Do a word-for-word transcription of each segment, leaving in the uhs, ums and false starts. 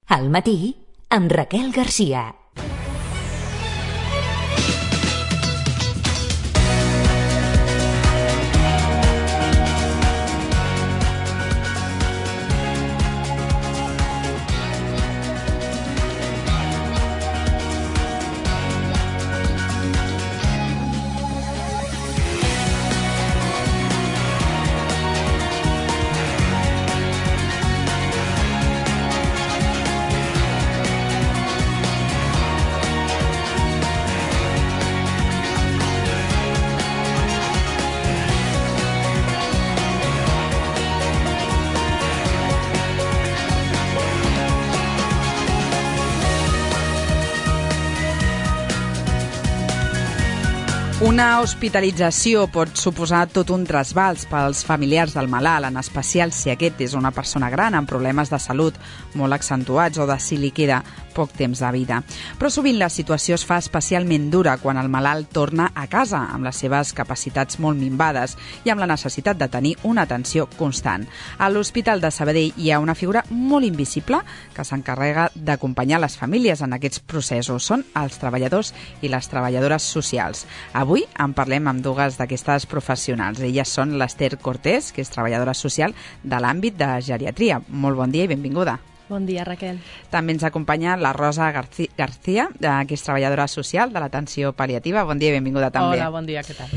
Al matí, amb Raquel Garcia. Una hospitalització pot suposar tot un trasbals pels familiars del malalt, en especial si aquest és una persona gran amb problemes de salut molt accentuats o de si li queda poc temps de vida. Però sovint la situació es fa especialment dura quan el malalt torna a casa amb les seves capacitats molt minvades i amb la necessitat de tenir una atenció constant. A l'Hospital de Sabadell hi ha una figura molt invisible que s'encarrega d'acompanyar les famílies en aquests processos. Són els treballadors i les treballadores socials. Avui en parlem amb dues d'aquestes professionals. Elles són l'Ester Cortés, que és treballadora social de l'àmbit de geriatria. Molt bon dia i benvinguda. Bon dia, Raquel. També ens acompanya la Rosa García, que és treballadora social de l'atenció pal·liativa. Bon dia i benvinguda també. Hola, bon dia, què tal?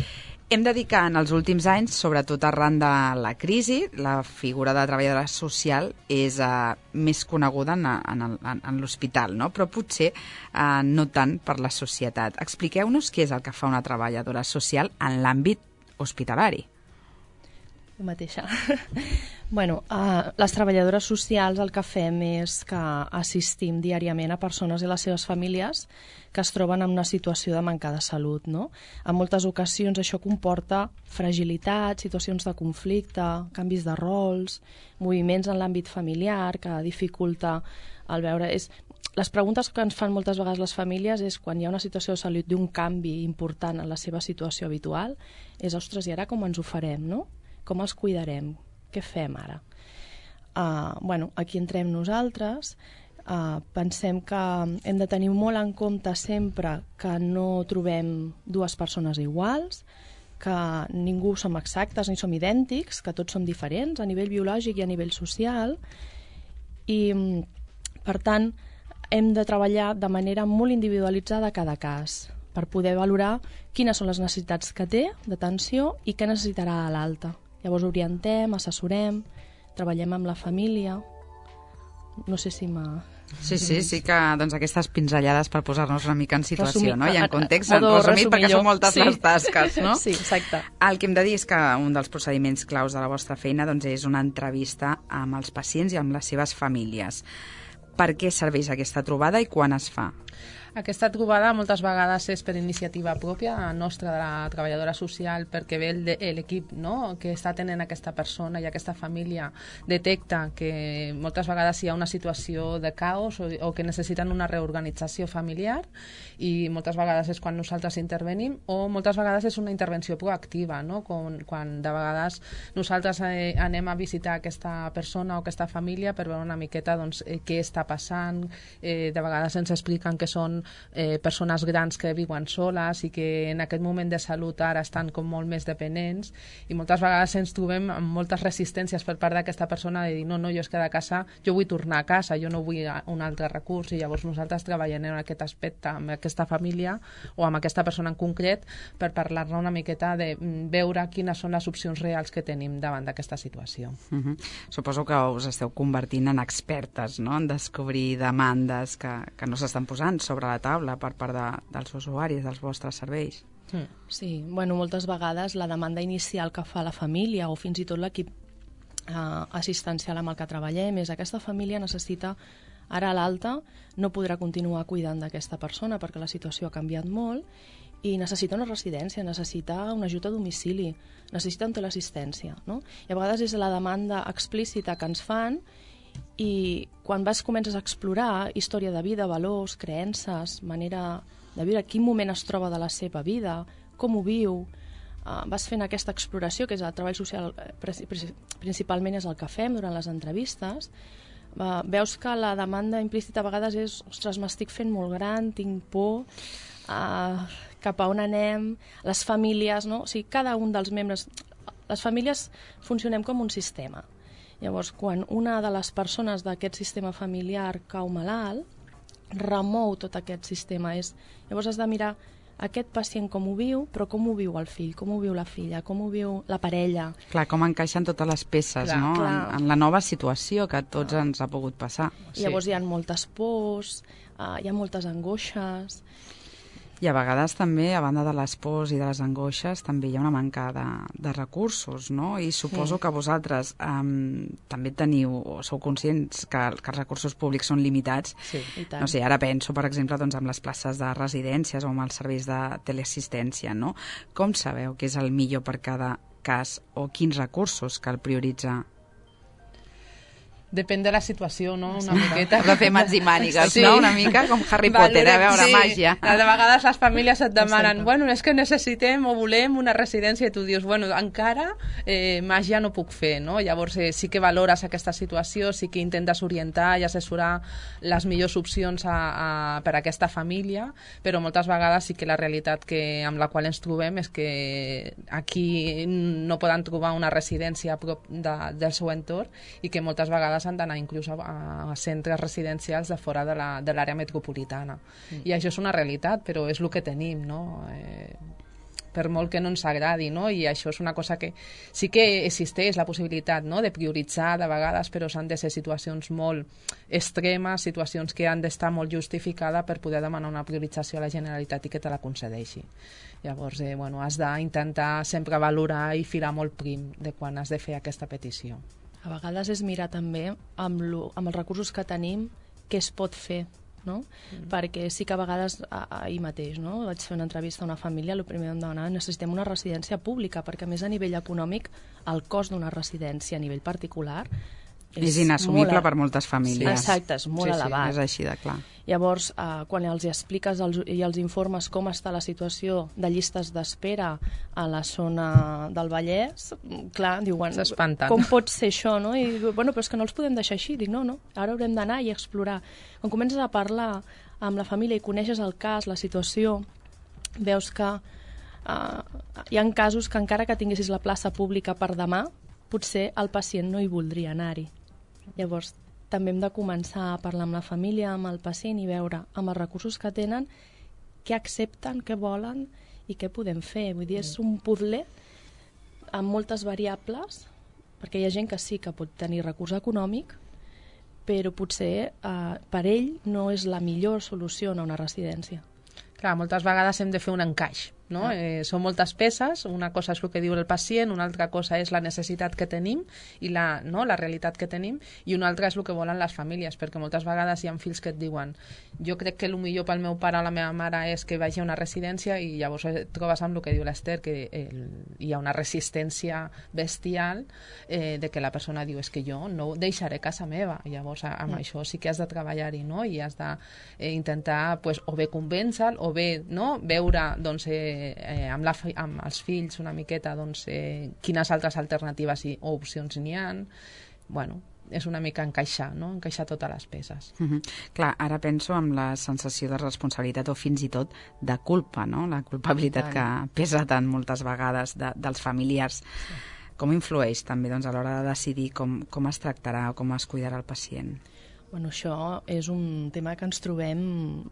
Hem de dir que en els últims anys, sobretot arran de la crisi, la figura de treballadora social és uh, més coneguda en, en, en, en l'hospital, no? Però potser uh, no tant per la societat. Expliqueu-nos què és el que fa una treballadora social en l'àmbit hospitalari. Jo mateixa. Bueno, uh, les treballadores socials el que fem és que assistim diàriament a persones i les seves famílies que es troben en una situació de manca de salut, no? En moltes ocasions això comporta fragilitat, situacions de conflicte, canvis de rols, moviments en l'àmbit familiar que dificulta el veure... És... Les preguntes que ens fan moltes vegades les famílies és quan hi ha una situació de salut d'un canvi important en la seva situació habitual, és, ostres, i ara com ens ho farem, no? Com els cuidarem? Què fem ara? Uh, bueno, aquí entrem nosaltres. Uh, pensem que hem de tenir molt en compte sempre que no trobem dues persones iguals, que ningú som exactes ni som idèntics, que tots som diferents a nivell biològic i a nivell social, i per tant hem de treballar de manera molt individualitzada a cada cas per poder valorar quines són les necessitats que té d'atenció i què necessitarà a l'alta. Llavors orientem, assessorem, treballem amb la família. No sé si m'ha... Sí, sí, sí que doncs, aquestes pinzellades per posar-nos una mica en situació, resumir, no? I en context, a, a, en resumit, perquè són moltes sí. les tasques, no? Sí, exacte. El que hem de dir és que un dels procediments claus de la vostra feina doncs, és una entrevista amb els pacients i amb les seves famílies. Per què serveix aquesta trobada i quan es fa? Aquesta trobada moltes vegades és per iniciativa pròpia nostra de la treballadora social, perquè ve l'equip, no?, que està tenint aquesta persona i aquesta família detecta que moltes vegades hi ha una situació de caos o, o que necessiten una reorganització familiar, i moltes vegades és quan nosaltres intervenim, o moltes vegades és una intervenció proactiva, no?, quan, quan de vegades nosaltres eh, anem a visitar aquesta persona o aquesta família per veure una miqueta doncs, eh, què està passant. Eh, de vegades ens expliquen que són Eh, persones grans que viuen soles i que en aquest moment de salut ara estan com molt més dependents, i moltes vegades ens trobem amb moltes resistències per part d'aquesta persona de dir no, no, jo és que de casa jo vull tornar a casa, jo no vull un altre recurs, i llavors nosaltres treballem en aquest aspecte amb aquesta família o amb aquesta persona en concret per parlar-ne una miqueta de veure quines són les opcions reals que tenim davant d'aquesta situació. Uh-huh. Suposo que us esteu convertint en expertes, no?, en descobrir demandes que, que no s'estan posant sobre la taula per part de, dels usuaris dels vostres serveis. Mm. Sí, bueno, moltes vegades la demanda inicial que fa la família o fins i tot l'equip eh, assistencial amb el que treballem és aquesta família necessita ara a l'alta, no podrà continuar cuidant d'aquesta persona perquè la situació ha canviat molt i necessita una residència, necessita un ajut a domicili, necessita un teleassistència, no? I a vegades és la demanda explícita que ens fan. I quan vas comences a explorar història de vida, valors, creences, manera de viure, quin moment es troba de la seva vida, com ho viu, uh, vas fent aquesta exploració, que és el treball social, principalment és el que fem durant les entrevistes, Uh, veus que la demanda implícita a vegades és ostres, m'estic fent molt gran, tinc por, uh, cap a on anem, les famílies, no? O sigui, cada un dels membres... Les famílies funcionem com un sistema. Llavors, quan una de les persones d'aquest sistema familiar cau malalt, remou tot aquest sistema. És... Llavors has de mirar aquest pacient com ho viu, però com ho viu el fill, com ho viu la filla, com ho viu la parella. Clar, com encaixen totes les peces, clar, no? Clar. En, en la nova situació que a tots clar. ens ha pogut passar. Sí. Llavors hi ha moltes pors, uh, hi ha moltes angoixes. I a vegades també, a banda de les pors i de les angoixes, també hi ha una manca de, de recursos, no? I suposo sí. que vosaltres um, també teniu, o sou conscients que, que els recursos públics són limitats. Sí, i tant. No sé, ara penso, per exemple, doncs, amb les places de residències o amb els serveis de teleassistència, no? Com sabeu què és el millor per cada cas o quins recursos cal prioritzar? Depèn de la situació, no? Una miqueta. Has de fer mans i mànigues, sí. no? Una mica com Harry Potter, a veure, sí. màgia. De vegades les famílies et demanen, bueno, és que necessitem o volem una residència, i tu dius, bueno, encara eh, màgia no puc fer, no? Llavors eh, sí que valores aquesta situació, sí que intentes orientar i assessorar les millors opcions a, a, per a aquesta família, però moltes vegades sí que la realitat que, amb la qual ens trobem és que aquí no poden trobar una residència a prop de, del seu entorn i que moltes vegades han d'anar inclús a, a centres residencials de fora de l'àrea metropolitana. Mm. I això és una realitat, però és el que tenim, no? Eh, per molt que no ens agradi, no? I això és una cosa que sí que existeix la possibilitat, no?, de prioritzar de vegades, però s'han de ser situacions molt extremes, situacions que han d'estar molt justificades per poder demanar una priorització a la Generalitat i que te la concedeixi. Llavors, eh, bueno, has d'intentar sempre valorar i filar molt prim de quan has de fer aquesta petició. A vegades és mirar també amb, lo, amb els recursos que tenim què es pot fer, no? Mm. Perquè sí que a vegades, ahir mateix, no? Vaig fer una entrevista a una família, el primer em demanava, necessitem una residència pública, perquè a més a nivell econòmic el cost d'una residència a nivell particular és, és inassumible molt, per moltes famílies. Sí, exacte, és molt sí, elevat. Sí, és així de clar. Llavors, eh, quan els expliques els, i els informes com està la situació de llistes d'espera a la zona del Vallès, clar, diuen, com pot ser això, no? I diu, bueno, però és que no els podem deixar així. Dic, no, no, ara haurem d'anar i explorar. Quan comences a parlar amb la família i coneixes el cas, la situació, veus que eh, hi ha casos que encara que tinguessis la plaça pública per demà, potser el pacient no hi voldria anar-hi. Llavors, també hem de començar a parlar amb la família, amb el pacient i veure amb els recursos que tenen què accepten, què volen i què podem fer. Vull dir, és un puzzle amb moltes variables, perquè hi ha gent que sí que pot tenir recurs econòmic, però potser eh, per ell no és la millor solució a una residència. Clar, moltes vegades hem de fer un encaix, no? Ah. Eh, són moltes peces, una cosa és el que diu el pacient, una altra cosa és la necessitat que tenim i la, no, la realitat que tenim, i una altra és el que volen les famílies, perquè moltes vegades hi ha fills que et diuen jo crec que el millor pel meu pare o la meva mare és que vagi a una residència, i llavors et trobes amb el que diu l'Ester, que el, hi ha una resistència bestial eh, de que la persona diu és que jo no deixaré casa meva. I llavors amb mm. això sí que has de treballar-hi, no? I has d'intentar eh, pues, o bé convèncer o bé, no?, veure doncs, eh, eh, amb, la, amb els fills una miqueta doncs, eh, quines altres alternatives i, o opcions n'hi ha. Bueno, és una mica encaixar, no?, encaixar totes les peces. Uh-huh. Clar, ara penso en la sensació de responsabilitat o fins i tot de culpa, no?, la culpabilitat que pesa tant moltes vegades de, dels familiars. Sí. Com influeix també doncs, a l'hora de decidir com, com es tractarà o com es cuidarà el pacient? Bueno, això és un tema que ens trobem,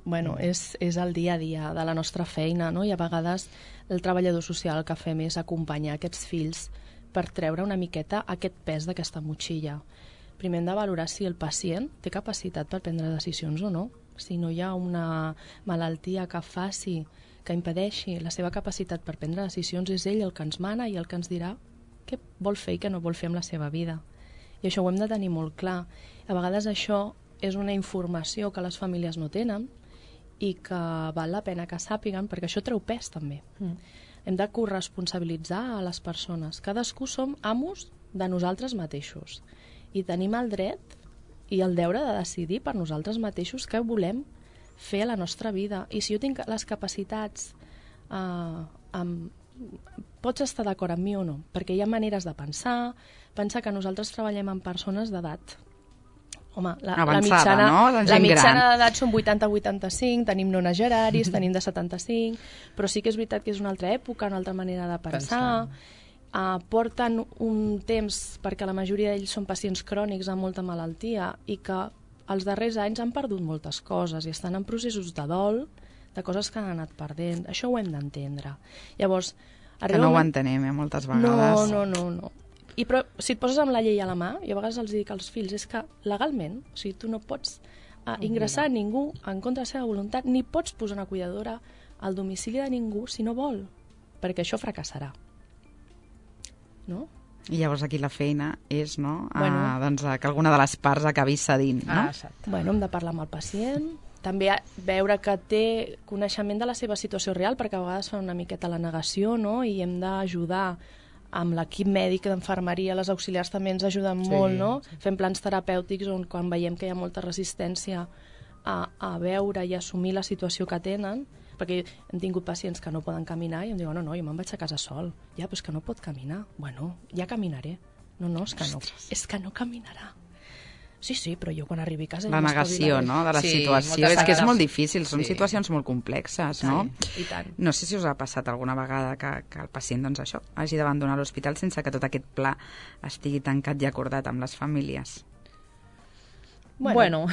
bueno, és, és el dia a dia de la nostra feina, no? I a vegades el treballador social el que fem és acompanyar aquests fills per treure una miqueta aquest pes d'aquesta motxilla. Primer hem de valorar si el pacient té capacitat per prendre decisions o no. Si no hi ha una malaltia que faci, que impedeixi la seva capacitat per prendre decisions, és ell el que ens mana i el que ens dirà què vol fer i què no vol fer amb la seva vida. I això ho hem de tenir molt clar. A vegades això és una informació que les famílies no tenen i que val la pena que sàpiguen, perquè això treu pes també. Mm. Hem de corresponsabilitzar a les persones. Cadascú som amos de nosaltres mateixos i tenim el dret i el deure de decidir per nosaltres mateixos què volem fer a la nostra vida. I si jo tinc les capacitats, eh, amb... pots estar d'acord amb mi o no, perquè hi ha maneres de pensar, pensar que nosaltres treballem amb persones d'edat Home, la, avançada, la mitjana, no? La, la mitjana d'edat són vuitanta a vuitanta-cinc, tenim nonageraris, tenim de setanta-cinc, però sí que és veritat que és una altra època, una altra manera de pensar. Uh, porten un temps, perquè la majoria d'ells són pacients crònics amb molta malaltia, i que els darrers anys han perdut moltes coses i estan en processos de dol, de coses que han anat perdent. Això ho hem d'entendre. Llavors, que no ho entenem, eh, moltes vegades. No, no, no, no. I però, si et poses amb la llei a la mà, i a vegades els dic als fills, és que legalment, o sigui, tu no pots uh, ingressar a ningú en contra de la seva voluntat, ni pots posar una cuidadora al domicili de ningú si no vol, perquè això fracassarà. No? I llavors aquí la feina és, no?, Bueno. uh, doncs, que alguna de les parts acabi cedint, no? Ah, exacte. Bueno, hem de parlar amb el pacient, també veure que té coneixement de la seva situació real, perquè a vegades fan una miqueta la negació, no?, i hem d'ajudar amb l'equip mèdic d'enfermeria, les auxiliars també ens ajuden Sí, molt, no? sí. Fem plans terapèutics on quan veiem que hi ha molta resistència a, a veure i assumir la situació que tenen, perquè hem tingut pacients que no poden caminar i em diuen, no, no, jo me'n vaig a casa sol. Ja, però és que no pot caminar. Bueno, ja caminaré. No, no, és que no, és que no caminarà. Sí, sí, però jo quan arribi a casa... La ja negació, m'espavilaré. no?, de la Sí, situació. moltes És que és vegades. molt difícil, són Sí. situacions molt complexes, no? I tant. No sé si us ha passat alguna vegada que, que el pacient, doncs això, hagi d'abandonar l'hospital sense que tot aquest pla estigui tancat i acordat amb les famílies. Bueno,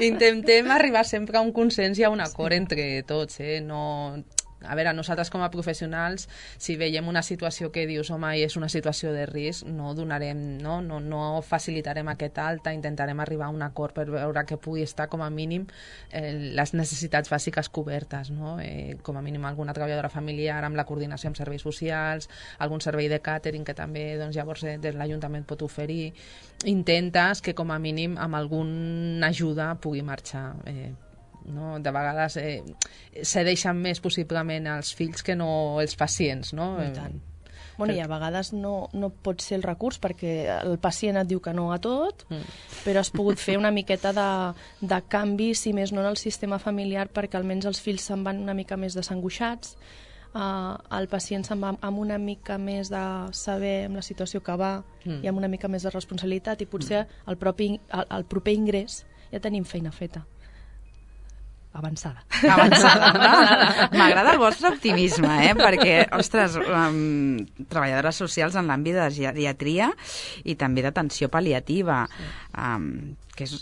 intentem arribar sempre a un consens i a un acord entre tots, eh? No... A veure, nosaltres com a professionals, si veiem una situació que dius, home, és una situació de risc, no donarem, no, no, no facilitarem aquest alta, intentarem arribar a un acord per veure que pugui estar com a mínim eh, les necessitats bàsiques cobertes, no? Eh, com a mínim alguna treballadora familiar amb la coordinació amb serveis socials, algun servei de càtering que també doncs, llavors eh, des de l'Ajuntament pot oferir. Intentes que com a mínim amb alguna ajuda pugui marxar. Eh, no? De vegades eh, cedeixen més possiblement els fills que no els pacients, no? I tant. Bueno, i a vegades no, no pot ser el recurs perquè el pacient et diu que no a tot, mm. però has pogut fer una miqueta de, de canvi, si més no en el sistema familiar, perquè almenys els fills se'n van una mica més desangoixats, uh, el pacient se'n va amb una mica més de saber amb la situació que va mm. i amb una mica més de responsabilitat, i potser mm. el, propi, el, el proper ingrés ja tenim feina feta. Avançada. Avançada, no? M'agrada el vostre optimisme, eh? Perquè, ostres, um, treballadores socials en l'àmbit de geriatria i també d'atenció pal·liativa, sí. um, que és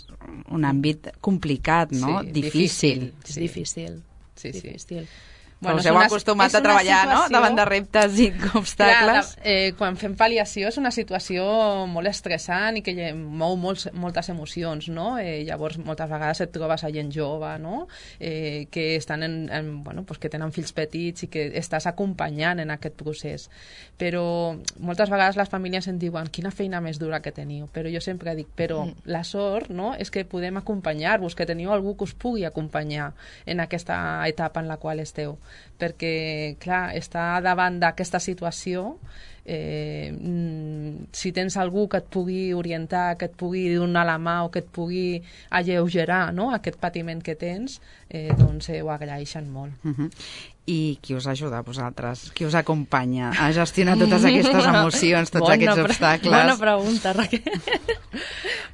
un àmbit complicat, no? Sí, difícil. difícil. És difícil. Sí, sí. difícil. Bueno, us heu acostumat a treballar, no?, davant de reptes i obstacles. Clar, eh, quan fem pal·liació és una situació molt estressant i que mou molts, moltes emocions, no? Eh, llavors, moltes vegades et trobes a gent jove, no?, eh, que estan en, en, bueno, pues que tenen fills petits i que estàs acompanyant en aquest procés. Però moltes vegades les famílies em diuen quina feina més dura que teniu, però jo sempre dic, però mm. la sort, no?, és que podem acompanyar-vos, que teniu algú que us pugui acompanyar en aquesta etapa en la qual esteu. Perquè, clar, estar davant d'aquesta situació, eh, si tens algú que et pugui orientar, que et pugui donar la mà o que et pugui alleugerar, no?, aquest patiment que tens, eh, doncs eh, ho agraeixen molt. Uh-huh. I qui us ajuda a vosaltres? Qui us acompanya a gestionar totes aquestes emocions, tots bona aquests pre- obstacles? Bona pregunta, Raquel.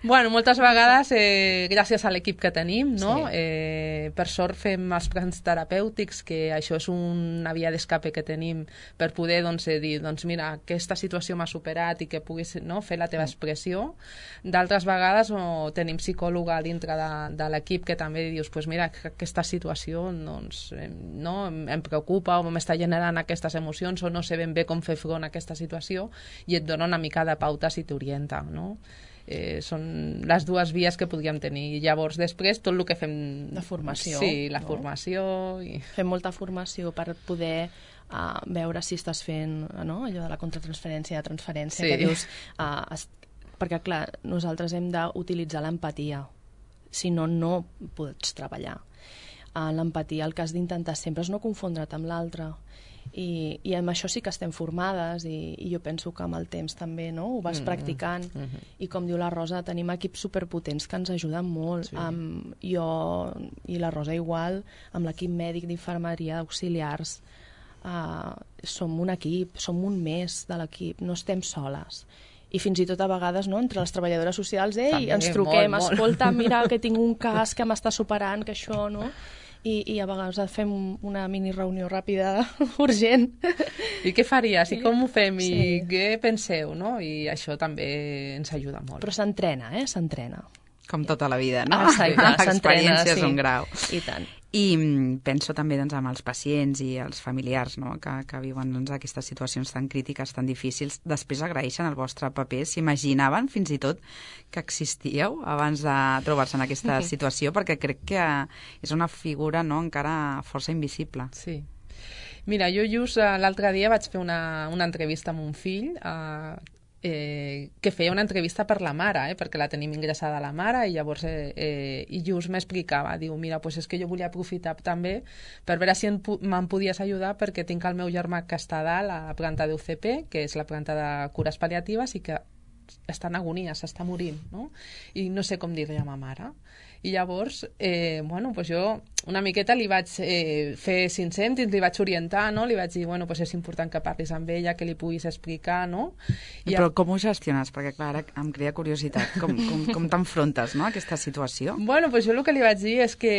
Bueno, moltes vegades, eh, gràcies a l'equip que tenim, no? Sí. Eh, per sort fem els plans terapèutics, que això és una via d'escape que tenim per poder doncs, eh, dir, doncs mira, aquesta situació m'ha superat i que puguis, no?, fer la teva expressió. D'altres vegades o tenim psicòloga dintre de, de l'equip que també dius, pues mira, aquesta situació doncs, eh, no, em preocupa o m'està generant aquestes emocions o no sé ben bé com fer front a aquesta situació, i et dona una mica de pauta si t'orienta, no? Eh, són les dues vies que podríem tenir. I llavors després tot el que fem... De formació. Sí, la no? formació. I... Fem molta formació per poder uh, veure si estàs fent, no?, allò de la contratransferència, de transferència, Sí. que dius... Uh, es... Perquè, clar, nosaltres hem d'utilitzar l'empatia. Si no, no pots treballar. Uh, l'empatia, el que has d'intentar sempre és no confondre't amb l'altre. I, i amb això sí que estem formades i, i jo penso que amb el temps també, no?, ho vas Mm-hmm. practicant. Mm-hmm. I com diu la Rosa, tenim equips superpotents que ens ajuden molt. Sí. Amb, jo i la Rosa igual, amb l'equip mèdic d'infermeria, d'auxiliars, uh, som un equip, som un més de l'equip, no estem soles. i fins i tot a vegades, no?, entre les treballadores socials, ei, També, ens truquem, molt, molt. escolta, mira que tinc un cas que m'està superant, que això, no?, i, i a vegades fem una mini reunió ràpida, urgent. I què faries? I com ho fem? I Sí. què penseu? No? I això també ens ajuda molt. Però s'entrena, eh?, s'entrena. Com tota la vida, no? Exacte, s'entrena, L'experiència sí. és un grau. I tant. I mm, penso també doncs, amb els pacients i els familiars, no?, que, que viuen doncs, aquestes situacions tan crítiques, tan difícils. Després agraeixen el vostre paper. S'imaginaven fins i tot que existíeu abans de trobar-se en aquesta situació, perquè crec que és una figura, no?, encara força invisible. Sí. Mira, jo just eh, l'altre dia vaig fer una, una entrevista amb un fill eh, eh, que feia una entrevista per la mare, eh, perquè la tenim ingressada a la mare, i llavors eh, eh, i just m'explicava, diu, mira, pues és que jo volia aprofitar també per veure si me'n podies ajudar, perquè tinc el meu germà que està a dalt a la planta d'U C P, que és la planta de cures pal·liatives, i que està en agonia, s'està morint, no? I no sé com dir-li a ma mare. I llavors, eh, bueno, pues jo una miqueta li vaig eh, fer cinc cèntims, li vaig orientar, no? Li vaig dir, bueno, pues és important que parlis amb ella, que li puguis explicar, no? I Però com ho gestiones? Perquè, clar, ara em crea curiositat. Com, com, com t'enfrontes, no?, a aquesta situació? Bueno, pues jo el que li vaig dir és que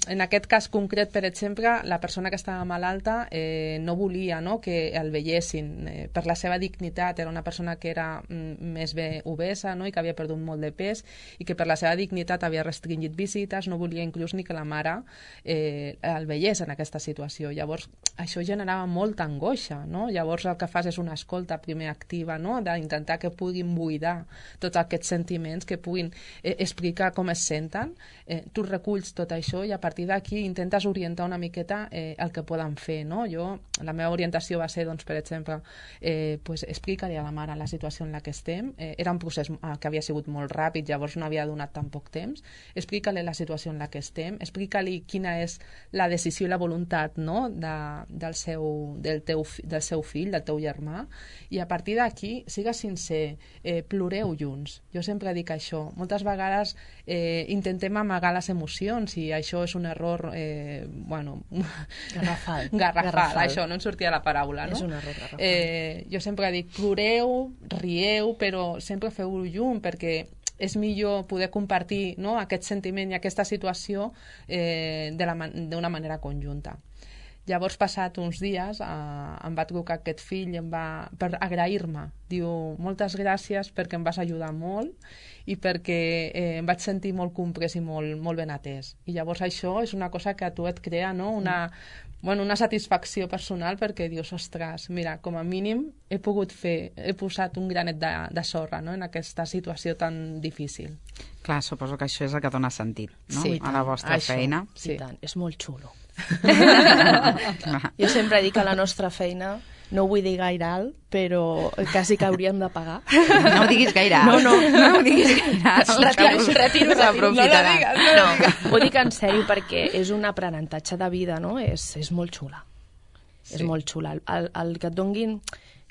en aquest cas concret, per exemple, la persona que estava malalta eh, no volia, no?, que el veiessin. Eh, per la seva dignitat, era una persona que era mm, més bé obesa, no?, i que havia perdut molt de pes, i que per la seva dignitat havia restringit visites, no volia inclús ni que la mare eh, el veiés en aquesta situació. Llavors, això generava molta angoixa, no? Llavors el que fas és una escolta primer activa, no?, d'intentar que puguin buidar tots aquests sentiments, que puguin eh, explicar com es senten. Eh, tu reculls tot això i a partir d'aquí intentes orientar una miqueta eh, el que poden fer, no? Jo, la meva orientació va ser, doncs, per exemple, eh, pues, explicar-li a la mare la situació en la que estem. Eh, era un procés eh, que havia sigut molt ràpid, llavors no havia donat tan poc temps. Explica-li la situació en la que estem, explica-li quina és la decisió i la voluntat, no?, de, del, seu, del, teu, del seu fill, del teu germà, i a partir d'aquí sigues sincer, eh, ploreu junts. Jo sempre dic això. Moltes vegades eh, intentem amagar les emocions i això és un error eh, bueno... Garrafal. garrafal. Garrafal. Això, no em sortia la paraula, no? És un error garrafal. Eh, jo sempre dic, ploreu, rieu, però sempre feu-ho junt, perquè és millor poder compartir, no?, aquest sentiment i aquesta situació eh, d'una man manera conjunta. Llavors, passat uns dies, eh, em va trucar aquest fill i em va, per agrair-me. Diu, moltes gràcies perquè em vas ajudar molt i perquè eh, em vaig sentir molt comprès i molt, molt ben atès. I llavors això és una cosa que a tu et crea, no?, una, bueno, una satisfacció personal, perquè dius, ostres, mira, com a mínim he pogut fer, he posat un granet de, de sorra, no?, en aquesta situació tan difícil. Clar, suposo que això és el que dona sentit, no?, Sí, a la vostra això. feina. Sí. I tant, és molt xulo. Clar. Jo sempre dic que la nostra feina, no ho vull dir gaire alt, però quasi que hauríem de pagar. No ho diguis gaire alt. No, no. No ho diguis gaire alt. Retiro, retiro, retiro. No la digues, no la digues. No, ho dic en sèrio perquè és un aprenentatge de vida, no? És, és molt xula. Sí. És molt xula. El, el, el que et donguin,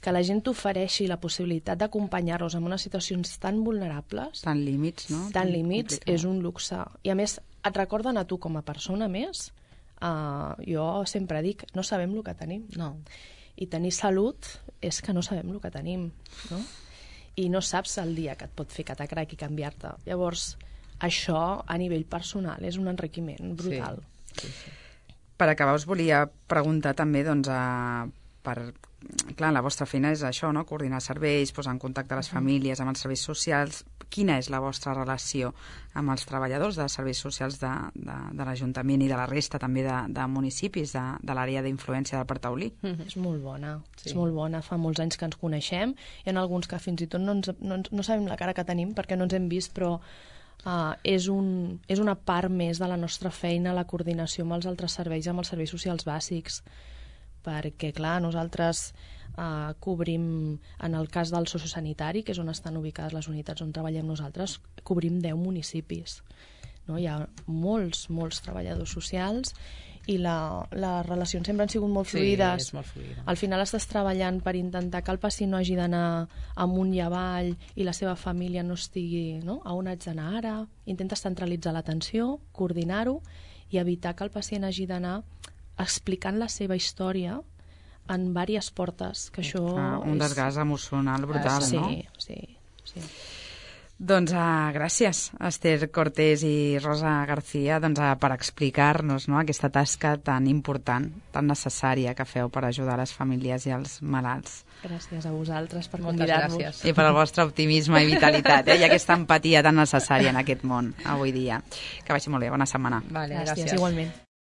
que la gent t'ofereixi la possibilitat d'acompanyar-los en unes situacions tan vulnerables, Tan límits, no? tan límits, complicat. és un luxe. I a més, et recorden a tu com a persona més. Uh, jo sempre dic, no sabem el que tenim. No. I tenir salut és que no sabem el que tenim, no? I no saps el dia que et pot fer catacrac i canviar-te. Llavors, això a nivell personal és un enriquiment brutal. Sí, sí. Per acabar, us volia preguntar també, doncs, a, per, clar, la vostra feina és això, no?, coordinar serveis, posar en contacte les famílies amb els serveis socials. Quina és la vostra relació amb els treballadors de serveis socials de, de, de l'Ajuntament i de la resta també de, de municipis de, de l'àrea d'influència del Partaulí? Mm-hmm. És molt bona, Sí. és molt bona. Fa molts anys que ens coneixem. Hi ha alguns que fins i tot no, ens, no, ens, no sabem la cara que tenim perquè no ens hem vist, però uh, és, un, és una part més de la nostra feina, la coordinació amb els altres serveis, amb els serveis socials bàsics. Perquè, clar, nosaltres eh, cobrim, en el cas del sociosanitari, que és on estan ubicades les unitats on treballem nosaltres, cobrim deu municipis. No? Hi ha molts, molts treballadors socials i la, les relacions sempre han sigut molt fluides. Sí, és molt fluida. Al final estàs treballant per intentar que el pacient no hagi d'anar amunt i avall i la seva família no estigui, no?, a on haig d'anar ara. Intentes centralitzar l'atenció, coordinar-ho i evitar que el pacient hagi d'anar explicant la seva història en diverses portes, que això Ah, un és... desgast emocional brutal, sí, no? Sí, Sí. Doncs uh, gràcies, Esther Cortés i Rosa García, doncs, uh, per explicar-nos, no?, aquesta tasca tan important, tan necessària que feu per ajudar les famílies i els malalts. Gràcies a vosaltres per Moltes convidar-nos. gràcies. I per al vostre optimisme i vitalitat, eh? I aquesta empatia tan necessària en aquest món avui dia. Que vagi molt bé, bona setmana. Vale, Gràcies, gràcies. igualment.